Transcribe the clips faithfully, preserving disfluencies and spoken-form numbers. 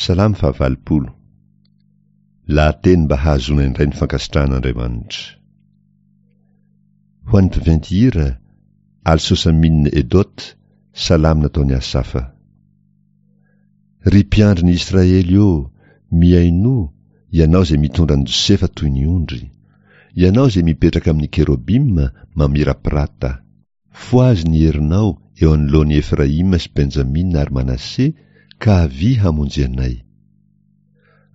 Salamo fahavalopolo. Lahateny mba hahazoana indray ny fankasitrahan'Andriamanitra. Ho an'ny mpiventy hira, Al-Sosamine Edot, salamo nataon'i Asafa. Ry mpiandry ny Israely ô, mihainoa, ianao izay mitondra an'i Josefa toy ny ondry. Ianao izay mipetraka amin'ny kerobima mamirapirata. Fohazy ny herinao eo anoloan'i Efraima sy Benjamina ary Manase, ka avia hamonjy anay.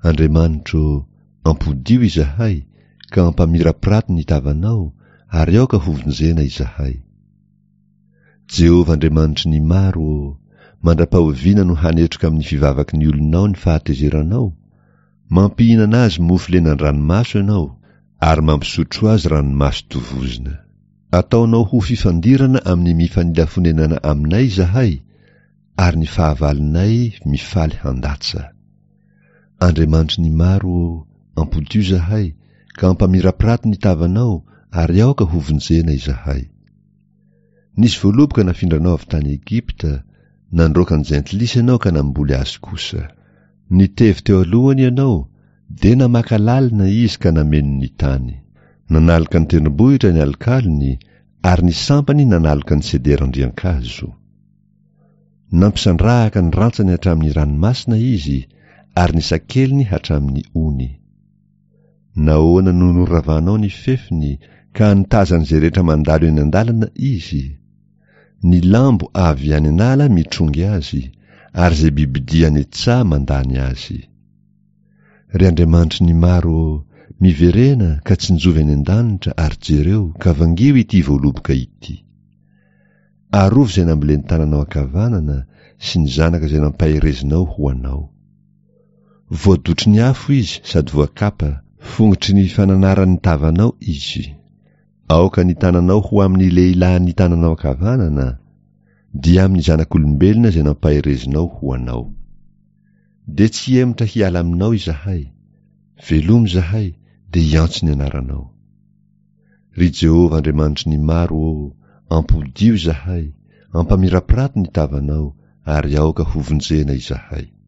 Andriamanitro ô, ampodio izahay, ka ampamirapirato ny tavanao, ary aoka hovonjena izahay. Jehovah Andriamanitry ny maro ô, mandra-pahoviana no hanetroka amin'ny fivavaky ny olonao ny fahatezeranao? Mampihinana azy mofo lenan-dranomaso ianao, ary mampisotro azy ranomaso tovozina. Ataonao ho fifandirana amin'ny mifanila fonenana aminay izahay, ary ny fahavalonay mifaly handatsa. Andriamanitry ny maro ô, ampodio izahay, ka ampamirapirato ny tavanao, ary aoka hovonjena izahay. Nisy voaloboka nafindranao avy tany Egypta, nandroaka ny jentilisa ianao ka namboly azy kosa. Nitevy teo alohany ianao, dia namaka lalina izy ka nameno ny tany. Nanaloka ny tendrombohitra ny alokalony, ary ny sampany nanaloka ny sederan-driankazo. Nampisandrahaka ny rantsany hatramin'ny ranomasina izy, ary ny sakeliny hatramin'ny ony. Nahoana no noravanao ny fefiny, ka nitazan'izay rehetra mandalo eny an-dalana izy? Ny lambo avy any an'ala mitrongy azy, ary izay bibidia any an-tsaha mandany azy. Ry Andriamanitry ny maro ô, miverena ka tsinjovy any an-danitra ary jereo ka vangio ity voaloboka ity. Arovy izay nambolen'ny tananao ankavanana sy ny zanaka izay nampaherezinao ho anao. Voadotry ny afo izy sady voakapa, fongotry ny fananaran'ny tavanao izy. Aoka ny tananao ho amin'ny lehilahin'ny tananao ankavanana, dia amin'ny zanak'olombelona izay nampaherezinao ho anao. Dia tsy hihemotra hiala aminao izahay. Velomy izahay, dia hiantso ny anaranao. Ry Jehovah Andriamanitry ny maro ô, ampodio izahay, ampamirapirato ny tavanao, ary aoka hovonjena izahay.